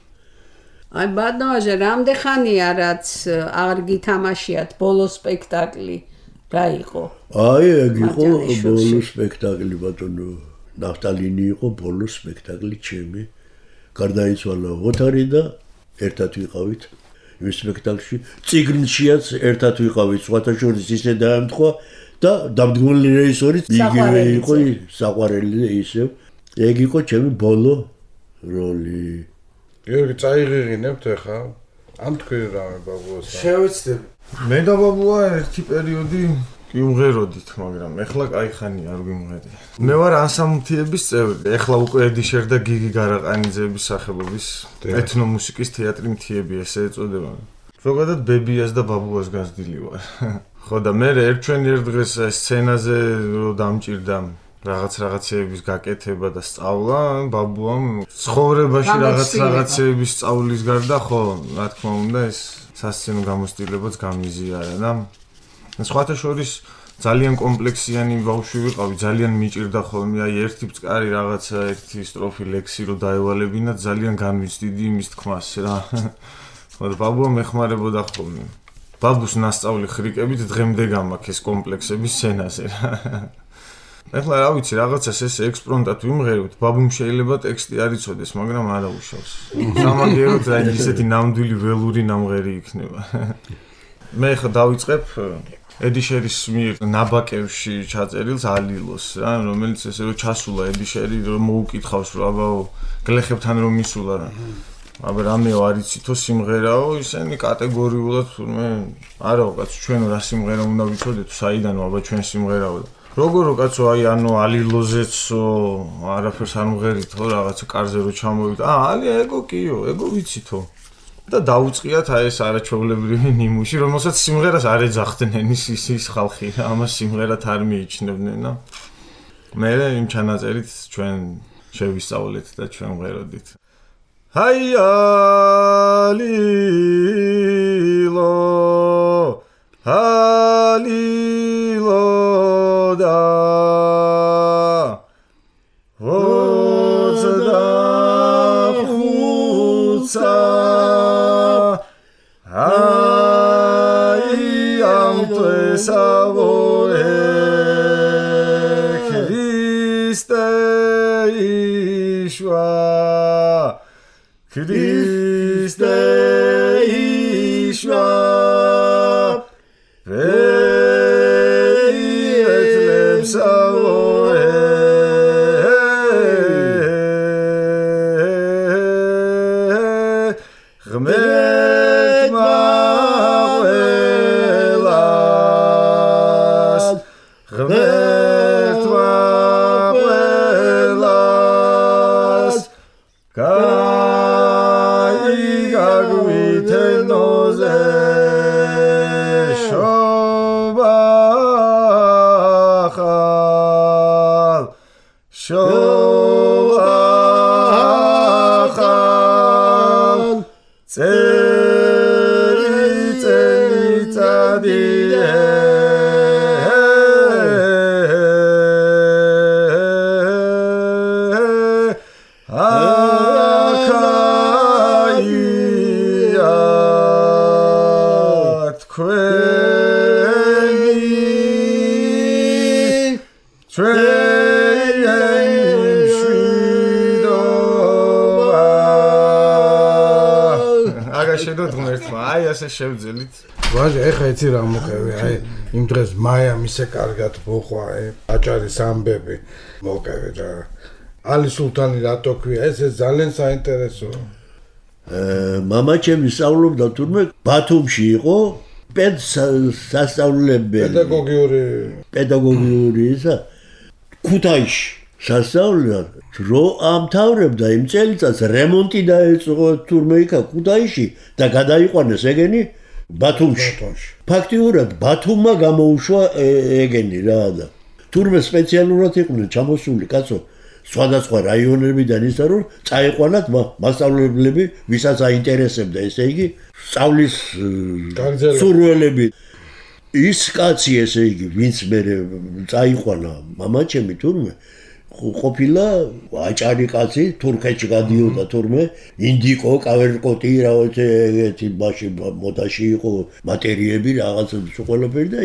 აი ბატონო, რამდენი ხანია რაც არ გითამაშიათ ბოლო სპექტაკლი? რა იყო? აი, ეგ იყო ბოლო სპექტაკლი ბატონო. ნაფტალინი იყო ბოლო სპექტაკლი ჩემი. გარდაიცვალა ოთარი და ერთად ვიყავით იმ სპექტაკლში. წიგნშიაც ერთად ვიყავით, სხვათა შორის ისე დაემთხვა და დამდგმელი რეჟისორიც იგივე იყო, საყვარელი ისევ. ეგ იყო ჩემი ბოლო როლი. გიორგი, წაიღიღინებთ ახლა? ამ თქვენ რა ბაბუას? შევეცდები. მე და ბაბუა ერთი პერიოდი გიმღეროდით, მაგრამ ეხლა კაი ხანია არ გიმღერია. მე ვარ ანსამბლების წევრი. ეხლა უკვე ედიშერ და გიგი გარაყანიძეების სახელობის ეთნომუსიკის თეატრი მთიები ესე ეწოდება. ზოგადად ბებიას და ბაბუას გასდილი ვარ. ხო და მე ერთვენ ერთ დღეს სცენაზე რო დამჭირდა რაღაცეების გაკეთება და სწავლა, ბაბუამ ცხოვრებაში რაღაცეების სწავლის გარდა, ხო, რა თქმა უნდა, ეს სასცენო გამოცდილებაც გამიზიარა და სხვათა შორის ძალიან კომპლექსიანი ბავშვი ვიყავი, ძალიან მიჭირდა ხოლმე, აი ერთი ბწკარი რაღაცა, ერთი სტროფი ლექსი რო დაევალებინა, ძალიან განვიცდიდი იმის თქმას რა. ხო და ბაბუა მეხმარებოდა ხოლმე. ბაბუს ნასწავლი ხრიკებით დღემდე გამაქვს ეს კომპლექსების სცენაზე რა. ეხლა რა ვიცი, რაღაცას ეს ექსპრონტად ვიმღერებთ, ბაბუმ შეიძლება ტექსტი არ იცოდეს, მაგრამ არა უშავს. სამაგიეროდ რა ისეთი ნამდვილი ველური ნამღერი იქნება. მე ხა დავიწყებ ედიშერის მიერ ნაბაკევში ჩაწერილს ალილოს რა, რომელიც ესე რომ ჩასულა ედიშერი რომ მოუკითხავს რომ აბაო გლეხებთან რომ მისულა რა. აბა რამეო არ იცითო სიმღერაო, ისინი კატეგორიულად თურმე არაო კაც ჩვენო რა სიმღერა უნდა ვიცოდეთ, საიდანო აბა ჩვენ სიმღერაო. როგორო კაცო აი ანუ ალილოზეცო არაფერს არ მღერითო რაღაცა კარზე რო ჩამოვიდა. ალია ეგო კიო, ეგო ვიცითო. და დაუწყიათ აი ეს არაჩვეულებრივი ნიმუში, რომელსაც სიმღერას არ ეძახდნენ ის ხალხი, ამას სიმღერად არ მიიჩნევდნენ და მე იმ ჩანაწერით ჩვენ შევისწავლეთ და ჩვენ ვღეროდით. ჰაი ალილო ალილო და ვოძდა ხუცა Savore Christe Ishwa Ve'etlem Savore Ghmet შევძელით. ვაჟი, ეხა იცი რა მოყევი, აი იმ დღეს მაიამ ისე კარგად მოყვა, აჭარის ამბები მოყევი რა. ალი სულთანი რატო ქვია, ეს ძალიან საინტერესოა. მამა ჩემი სწავლობდა თურმე ბათუმში იყო სასწავლებელი. პედაგოგიური ისა ქუთაისში სასწავლებლად რო ამთავრებდა იმ წელიწადს რემონტი დაეწყო თურმე იქა ქუთაისში და გადაიყვანეს ეგენი ბათუმში. ფაქტიურად ბათუმმა გამოუშვა ეგენი რა და თურმე სპეციალურად იყვნენ ჩამოსული კაცო სხვადასხვა რაიონებიდან ისა რომ წაიყვანათ მასწავლებლები, ვისაც აინტერესებდა, ესე იგი, სწავლის სურვილები. ის კაცი, ესე იგი, ვინც მე წაიყვანა, მამაჩემი თურმე ყოფილა აჭარი კაცი, თურქეთში გადიოდა თურმე, ინდიკო, კავერკოტი, რაღაცა ეგეთი ბაში მოდაში იყო მატერიები, რაღაცა ყველაფერი და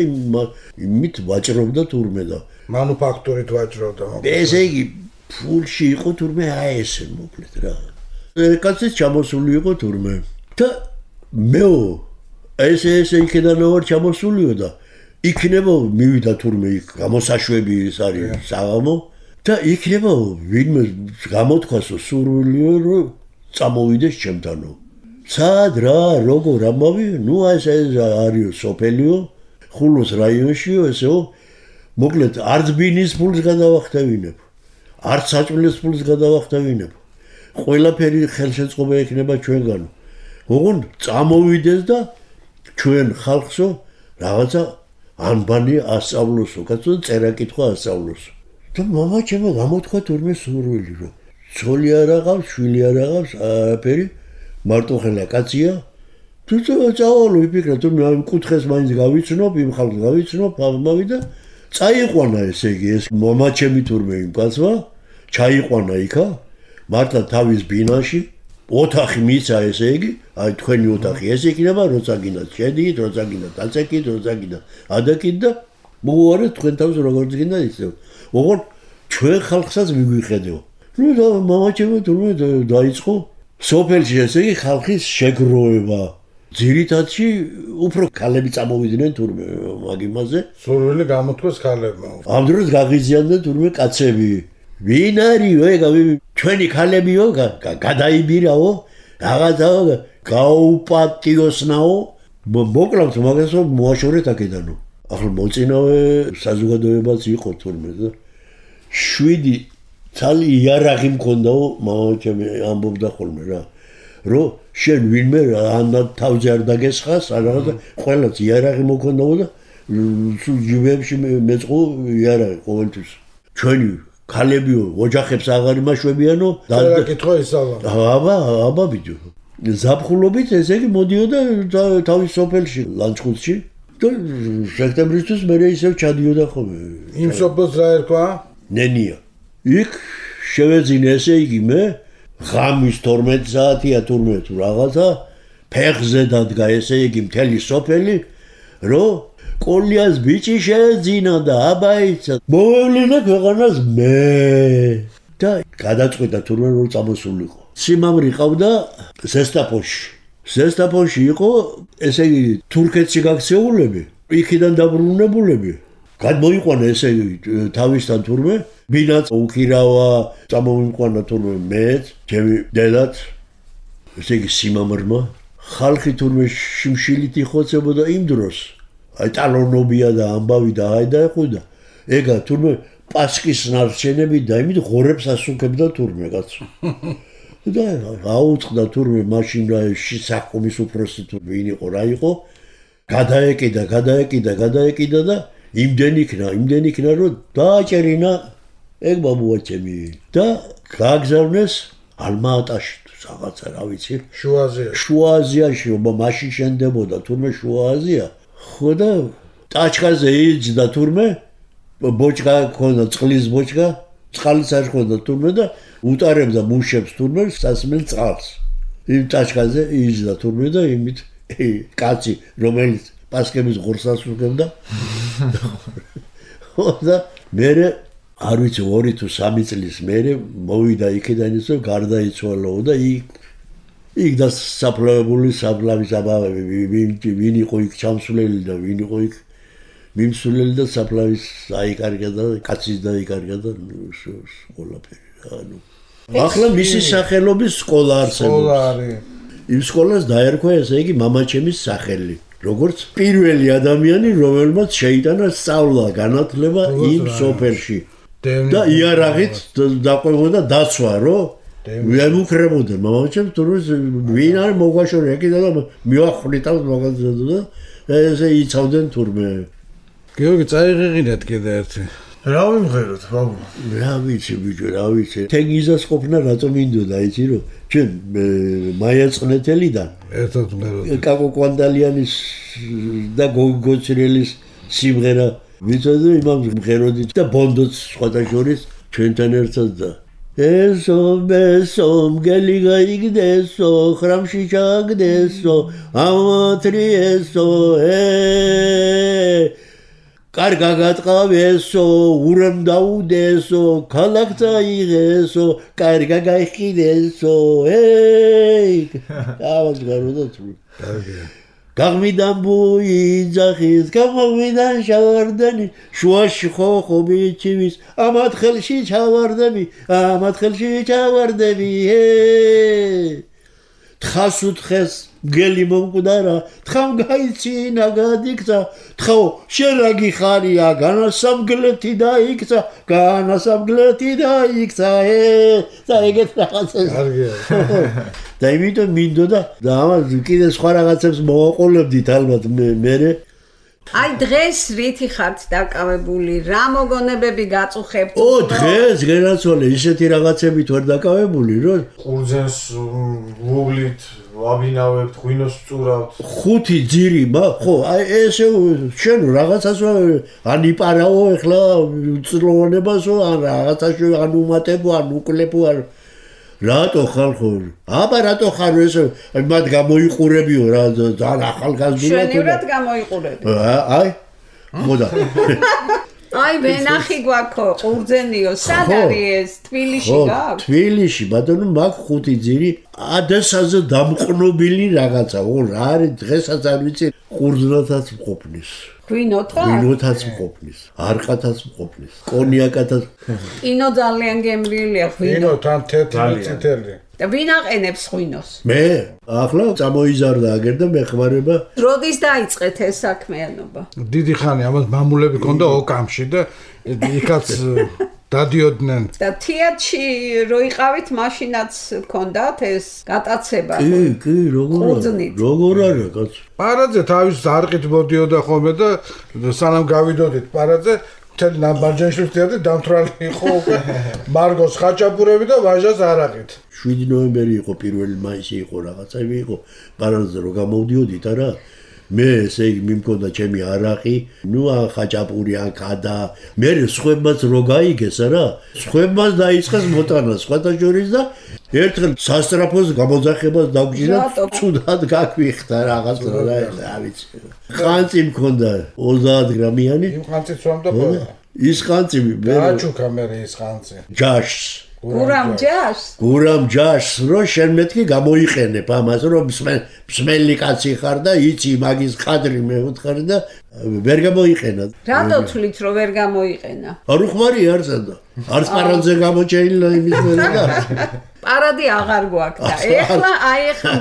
იმით ვაჭრობდა თურმე და მანუფაქტურით ვაჭრობდა. ესე იგი, ფულში იყო თურმე აი ესე მოკლედ რა. კაცი ჩამოსული იყო თურმე. და მეო ესე იქიდან ვარ ჩამოსულიო და იქნება მივიდა თურმე იქ გამოსაშვები ის არის საღამო და იქნება ვინმე გამოთქვასო სურვილიო რომ წამოვიდეს ჩემთანო. სად რა როგორ ამავი? ნუ ესე არისო სოფელიო ხულოს რაიონშიო ესეო მოკლედ არც ბინის ფულს გადავახტევინებ. არც საჭმლის ფულს გადავახტევინებ. ყველაფერი ხელშეწყობა ექნება ჩვენგანო. ოღონ წამოვიდეს და ჩვენ ხალხსო რაღაცა ანბანი ასწავლოსო, კაცო წერა კითხვა ასწავლოსო. და მამაჩემო გამოთქვა თურმე სურვილი რომ ცოლი არ აღავს, შვილი არ აღავს, არაფერი, მარტოხელა კაცია. თუ წავალო იფიქრა თუ მე იმ კუთხეს მაინც გავიცნობ, იმ ხალხს გავიცნობ, ამავე და წაიყვანა ესე იგი ეს მამაჩემი თურმე იმ კაცმა, ჩაიყვანა იქა, მართლა თავის ბინაში ოთახი მიცა ესე იგი, აი თქვენი ოთახი ეს იქნება, როცა გინდათ შედით, როცა გინდათ აწეკით, როცა გინდათ ადაკით და მოუარეთ თქვენ თავს როგორც გინდათ ისე. ოღონ ჩვენ ხალხსაც მიგვიხედეო. ნუ და მამაჩემი თურმე დაიწყო სოფელში ესე იგი ხალხის შეგროვება. ძირითადში უფრო ქალები წამოვიდნენ თურმე მაგ იმაზე. სურვილი გამოთქვეს ქალებმა. ამ დროს გაღიზიანდნენ თურმე კაცები. ვინ არისო ეგ ჩვენი ქალებიო გადაიბირაო რაღაცაო გაუპატიოსნაო მოკლავთ მაგასო მოაშორეთ აქედანო. ახლა მოწინავე საზოგადოებაც იყო თურმე და 7 თალი იარაღი მქონდაო მამაჩემი ამბობდა ხოლმე რა რომ შენ ვინმე ან თავზე არ დაგესხას ან რაღაცა ყველაც იარაღი მქონდაო და სულ ჯიბებში მეწყო იარაღი ყოველთვის ჩვენი ქალებიო ოჯახებს აღარ იმაშვებიანო და კითხვა ისალა აბა ბიჭო ზაფხულობით ესე იგი მოდიოდა თავის სოფელში ლანჩხუთში და სექტემბრისთვის მე ისევ ჩადიოდა ხოლმე იმ სოფელს რა ერქვა ნენია იქ შევეძინე ესე იგი მე ღამის 12 საათია თურმე თუ რაღაცა ფეხზე დადგა ესე იგი მთელი სოფელი რომ კოლიას ბიჭი შეეძინა და აბაიცა მოვლენა ქვეყანას მე და გადაწყვეტა თურმე რომ წამოსულიყო სიმამრი ყავდა ზესტაფონში იყო ესე იგი თურქეთში გაქცეულები იქიდან დაბრუნებულები გადმოიყვანა ესე იგი თავისთან თურმე ბინაც უქირავა წამოიყვანა თურმე მეც ჩემი დედაც ესე იგი სიმამრმა ხალხი თურმე შიმშილით იხოცებოდა იმ დროს აი ტალონობია და ამბავი და აი და ეხოდა ეგა თურმე პასკის ნარჩენები და იმით ღორებს ასუქებდა თურმე კაცო და აუწყდა თურმე მაშინ რა შესაქმის უფროსი თუ ვინ იყო რა იყო გადაეკიდა და იმდენ იქნა რომ დააჭერინა ეგ ბაბუაჩემი და გააგზავნეს ალმა-ატაში რაღაცა რა ვიცი შუა-აზიაში მაშინ შენდებოდა თურმე შუა-აზია ხო და ტაჩკაზე იჯდა თურმე ბოჭკა ქონდა წყლის ბოჭკა წყალიც არ ქონდა თურმე და უტარებდა მუშებს თურმე სასმელ წყალს იმ ტაჩკაზე იჯდა თურმე და იმით კაცი რომელიც პასკების ღორსას უგებდა ხო და მე არ ვიცი 2 თუ 3 წლის მერე მოვიდა იქიდან ისე გარდაიცვალო და იქ და საფლავების აბავები ვინ იყო იქ ჩამსვლელი და ვინ იყო იქ მიმსვლელი და საფლავის აიკარგა და კაცის დაიკარგა და ყველაფერი ანუ ახლა მისი სახელობის სკოლა არსებობს იმ სკოლას დაერქვა ესე იგი მამაჩემის სახელი როგორც პირველი ადამიანი რომელმაც შეიტანა სწავლა განათლება იმ სოფელში და იარაღით დაყვებოდა დაცვა რომ ვემუქრებოდა მამაჩემ თურმე ვინ არის მოგვაშორე ეკიდა და მიახვრიტავს მაგაზია და ესე იცავდნენ თურმე გიორგი წაიღიღინეთ კიდე ერთი რა ვიმღეროთ, ბაბუ? რა ვიცი ბიჭო, რა ვიცი. თენგიზას ყოფნა რატომ მინდოდა, იცი რომ ჩვენ მაია წნეთელიდან ერთად მღეროდი. კაკო კვანდალიანის და გოგოცირელის სიმღერა ვიცოდი იმამ მღეროდით და ბონდოც სხვათა შორის ჩვენთან ერთად და ესო მესო მგელი გაიგდესო ხრამში ჩაგდესო ამათრიესო კარგა გატყავესო ურემ დაუდესო ქალაქთა იღესო კარგა გაიხიდესო ავას გაროდა თუ კარგია. გაღმიდან ბუიძახის გამოვიდან შავარდანი შუაში ხო ბიჭივის ამათ ხელში ჩავარდები თხას უთხეს მგელი მომკვდარა თხამ გაიცინა გადიქცა თხო შენ რა გიხარია განასამგლეთი დაიქცა და ეგეთ რაღაცას კარგია. და იმიტომ მინდოდა და ამას კიდე სხვა რაღაცებს მოვაყოლებდით ალბათ მე აი დღეს რითი ხართ დაკავებული? რა მოგონებები გაწუხებთ? დღეს გენაცვალე ისეთი რაღაცებით ვერ დაკავებული რომ ყურძენს ვუვლით, ვაბინავებთ, ღვინოს ვწურავთ. 5 ძირი ხო აი ესე შენ რაღაცას ან იპარაო ეხლა უწლოვანებასო ან რაღაცაში ან უმატებო ან უკლეპო ან რატო ხალხო? აბა რატო ხარ ესე მათ გამოიყურებიო რა ძალიან ახალგაზრდა შენივრად გამოიყურები. აი ხოდა აი ვენახი გვაქვს ყურძენიო, სად არის ეს? თბილისში გაქვს? თბილისში ბატონო მაგ 5 ძირი ადასაზე დამყნობილი რაღაცა რა არის დღესაც არ ვიცი ყურძნათაც მყოფნის ღვინოთაც მყოფნის არყათაც მყოფნის კონიაკათაც კინო ძალიან გემრიელია ღვინო თან თეთრი წითელი და ვინ აყენებს ღვინოს? მე ახლა წამოიზარდა აგერ და მეხმარება როდის დაიწყეთ ეს საქმიანობა? დიდი ხანი ამას მამულები ქონდა ოკამში და იქაც დადიოდნენ და თეატრში რო იყავით მაშინაც ქონდათ ეს გატაცება? კი როგორ არა კაც პარაძე თავის არყით მოდიოდა ხოლმე და სანამ გავიდოდით პარაძე მთელი ნაბარჯეშვილს თეატრი დამთვრალი იყო მარგოს ხაჭაპურები და ვაჟას არაყით 7 ნოემბერი იყო 1 მაისი იყო რაღაცები იყო პარაძე რო გამოვდიოდით არა მე ესე იგი მიმქონდა ჩემი არაყი ნუ ხაჭაპური ან კადა მე სხვებმაც რო გაიგეს არა სხვებმაც დაიწყეს მოტანა სხვათა შორის და ერთხელ სასტრაფოს გამოძახებას დაგვიჭირა ცუდად გაგვიხდა რაღაც რა ვიცი ხანწი მქონდა 30 გრამიანი იმ ხანწით სვამდა ყველა ის ხანწი მე დააჩუქა მე ის ხანწი ჯაშს გურამ ჯაშს რო შენ მეთქი გამოიყენებ ამას რომ მსმელი კაცი ხარ და იცი მაგის ხადრი მეუთხარ და ვერ გამოიყენა რატო თვლით რომ ვერ გამოიყენა? არ უხმარი არცადა არც პარაძე გამოჩეილა იმის მერე და პარადი აღარ გვაქვს და ეხლა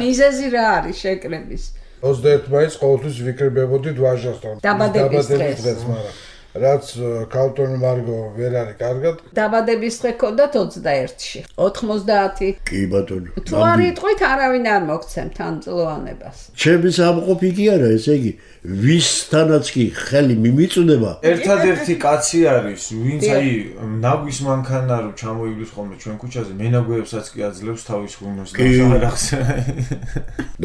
მიზეზი რა არის შეკრების? 21 მაისს ყოველთვის ვიკრიბებოდით ვაჟასთან დაბადების დღეს მაგრამ რაც კალტონი მარგო ვერ არის კარგად დაბადების დღე ქონდათ 21-ში 90 კი ბატონო თუ არ იტყვით არავინ არ მოგცემთ ამ წლოვანებას ჩემი სამყოფი კი არა ესე იგი ვისთანაც კი ხელი მიმიწვდება ერთადერთი კაცი არის ვინც აი ნაგვის მანქანა რო ჩამოივლის ხოლმე ჩვენ ქუჩაზე მენაგვეებსაც კი აძლევს თავის ღვინოს და აღარახს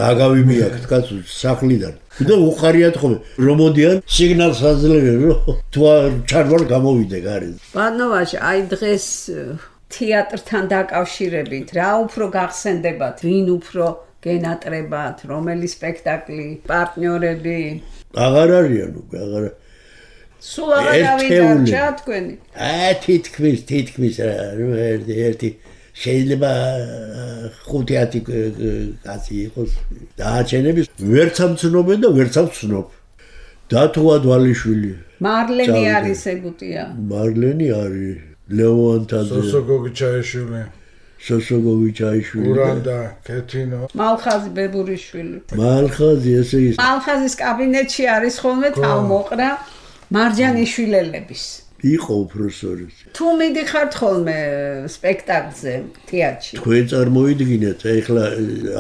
დაგავიმიაკთ კაცო სახლიდან და უხარიათ ხოლმე რომ მოდიან სიგნალს აძლევენ რომ თუ ჩარვარ გამოვიდე გარე ბანოვაში აი დღეს თეატრთან დაკავშირებით რა უფრო გახსენდებათ ვინ უფრო გენატრებათ რომელი სპექტაკლი პარტნიორები აღარ არიან უკვე აღარ სულ აღარ დავიდარჩა თქვენი თითქმის ერთი შეიძლება 5-10 კაცი იყოს დააჩენების ვერც ამცნობენ და ვერც ამცნობ დათო ადვალიშვილი მარლენი არის ეგუტია მარლენი არის ლეონტაძე სოსოგოვიჩაიშვილი გურანდა კეთინო მალხაზი ბებურიშვილი მალხაზი ესე ის მალხაზის კაბინეტში არის ხოლმე თავმოყრა მარჯანიშვილელების იყო უფროსორი თუ მიდიხართ ხოლმე სპექტაკლზე თეატრში თქვენ წარმოიდგინეთ ეხლა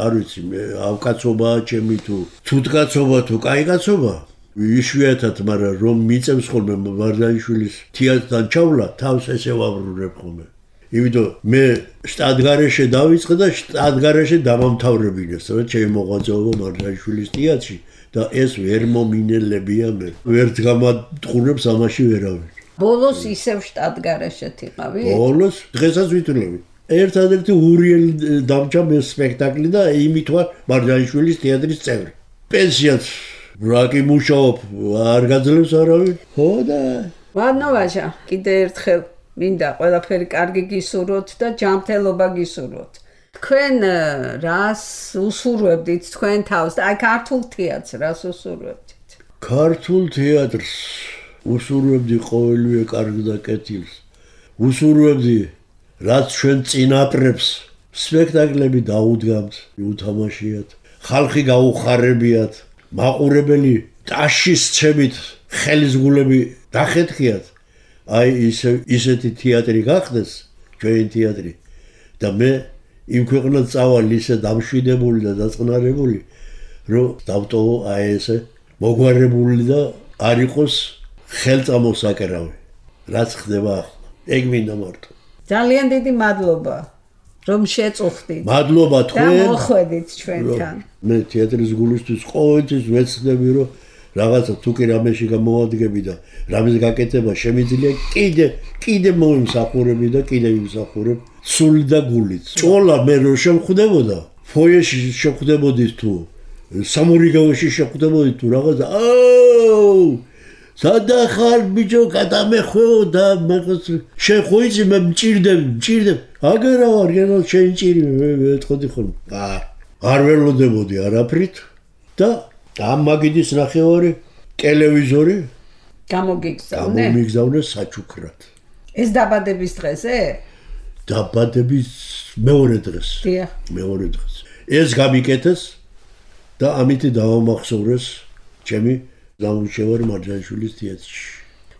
არ ვიცი ავკაცობაა ჩემი თუ ცუდკაცობა თუ კაიგაცობა იშვიათად, მაგრამ რომ მიწევს ხოლმე მარჯანიშვილის თეატრთან ჩავლა, თავს ესე ვაბრუნებ ხოლმე. იმიტომ მე შტატგარეშე დავიწყე და შტატგარეშე დამამთავრებინეს, რა ჩემი მოღვაწეობა მარჯანიშვილის თეატრში და ეს ვერ მომინელებია მე. ვერც გამატყურებს ამაში ვერავინ. ბოლოს ისევ შტატგარეშეთ იყავი? ბოლოს დღესაც ვითვლები. ერთადერთი ურიელი დამჭა მე სპექტაკლი და იმით ვარ მარჯანიშვილის თეატრის წევრი. პენსიაც რაკი მუშაობ, არ გაძლევს არავინ. ხო და ვანო ვაჟა, კიდე ერთხელ მინდა ყველაფერი კარგი გისურვოთ და ჯანმრთელობა გისურვოთ. თქვენ რას უსურვებდით თქვენ თავს? აი ქართულ თეატრს რას უსურვებდით? ქართულ თეატრს უსურვებდი ყოველივე კარგ და კეთილს. უსურვებდი რაც ჩვენ წინაპრებს სპექტაკლები დაუდგამთ, უთამაშიათ, ხალხი გაუხარებიათ, მაყურებელი ტაშის ცემით ხელისგულები დახეთქიათ. აი ისეთი თეატრი გახდეს, ჩვენი თეატრი და მე იმ ქვეყნად წავალ ისე დამშვიდებული და დაწყნარებული, რომ დავტოვო აი ესე მოგვარებული და არ იყოს ხელწამოსაკერავი. რაც ხდება ახლა. ეგ მინდა მარტო. ძალიან დიდი მადლობა, რომ შეწუხდით. მადლობა თქვენ. და მოხვედით ჩვენთან. მე თეატრის გულისთვის ყოველთვის ვეცდები, რომ რაღაცა თუ კი რამეში გამოვადგები და რამის გაკეთება შემიძლია, კიდე მომსახურები და კიდე იმსახურებ სული და გულით. ჭოლა მე რო შემხვდებოდა, ფოიეში შეხვდებოდით თუ სამურიგავში შეხვდებოდით თუ რაღაცა, სადა ხარ ბიჭო, გადამეხვეო და მაგას შეხოიცი მე მჭირდები. აგერა ვარ, გენო შენ ჭირი მე ვეთქოდი ხოლმე. არ ველოდებოდი არაფრით და ამ მაგიდის ნახევარი ტელევიზორი გამომიგზავნე საჩუქრად. ეს დაბადების დღეზე? დაბადების მეორე დღეს. დიახ. მეორე დღეს. ეს გამიკეთეს და ამით დავამახსოვრეს ჩემი გამუშევარი მარჯანიშვილის თეატრში.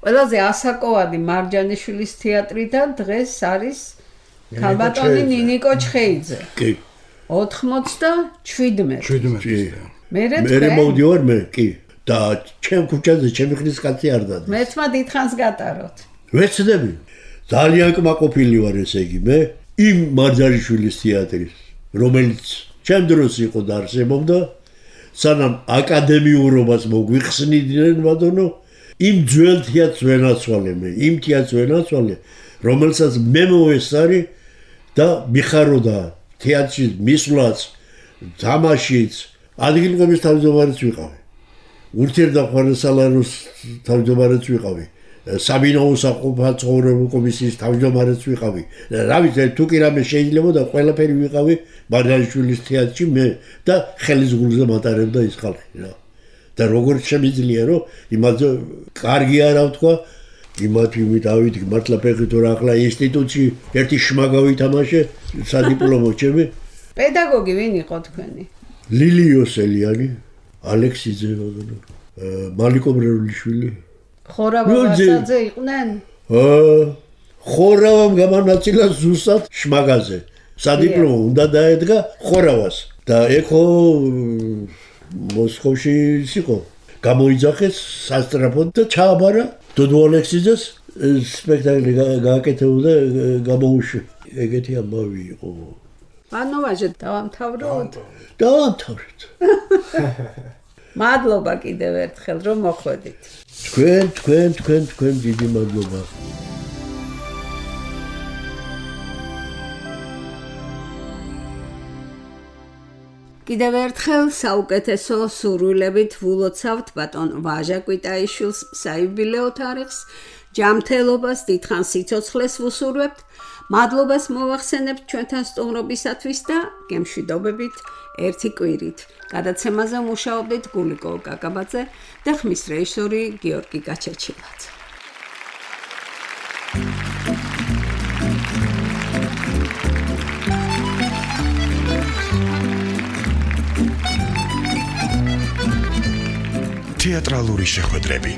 ყველაზე ასაკოვადი მარჯანიშვილის თეატრიდან დღეს არის ქალბატონი ნინიკო ჩხეიძე. კი. 97. მე მოვდივარ მე, კი. და ჩემ ქუჩაზე ჩემი ხრის კაცი არ დადის. მე თმა დიდხანს გატაროთ. ვეცდები. ძალიან კმაყოფილი ვარ ესე იგი მე იმ მარჯანიშვილის თეატრის, რომელიც ჩემ დროს იყო და არსებობდა, სანამ აკადემიურობას მოგვიხსნიდნენ ბატონო, იმ ძველ თეატრს ვენაცვალე მე, იმ თეატრს ვენაცვალე, რომელსაც მე მოვესწარი და მიხაროდა თეატრში მისვლაც, თამაშიც, ადგილობრივი თავმჯდომარეც ვიყავი. ურთიერთდახმარებასალაროს თავმჯდომარეც ვიყავი. საბინაუს საყოფაცხოვრებო კომისიის თავმჯდომარეც ვიყავი. რა ვიცი, თუ კი რამე შეიძლებოდა, ყველაფერი ვიყავი მარჯანიშვილის თეატრში მე და ხელისგულზე მატარებდა ის ხალხი რა. და როგორც შემიძლია, რომ იმაზე კარგი არა ვთქვა, იმით ავიდგ მართლა ფეხით რა ახლა ინსტიტუტში ერთი შმაგავი თამაშე სადიპლომო ჩემი. პედაგოგი ვინ იყო თქვენი? ლილი იოსელიანი, ალექსიძე ბატონო, მალიკო ბრეულიშვილი. ხორავა ვასაძე იყვნენ? ხორავამ გამანაწილა ზუსტად შმაგაზე. სადიპლომო უნდა დაედგა ხორავას და ეხო მოსკოვში იყო. გამოიძახეს სასტრაფოდ და ჩააბარა დოდო ალექსიძეს სპექტაკლი გააკეთებოდა გამოუშვა. ეგეთი ამბავი იყო. ანუ ვაჟე დავამთავროთ? დავამთავრეთ. მადლობა კიდევ ერთხელ რომ მოხვედით. თქვენ დიდი მადლობა. კიდევ ერთხელ საუკეთესო სურვილებით ვულოცავთ ბატონ ვაჟა კვიტაიშვილს საიუბილეო თარიღს, ჯანმრთელობას, დიდხანს სიცოცხლეს ვუსურვებთ, მადლობას მოვახსენებთ ჩვენთან სტუმრობისათვის და გემშვიდობებით ერთი კვირით. გადაცემაზე მუშაობდით გულიკო კაკაბაძე და ხმის რეჟისორი გიორგი გაჩეჩილაძე. თეატრალური შეხვედრები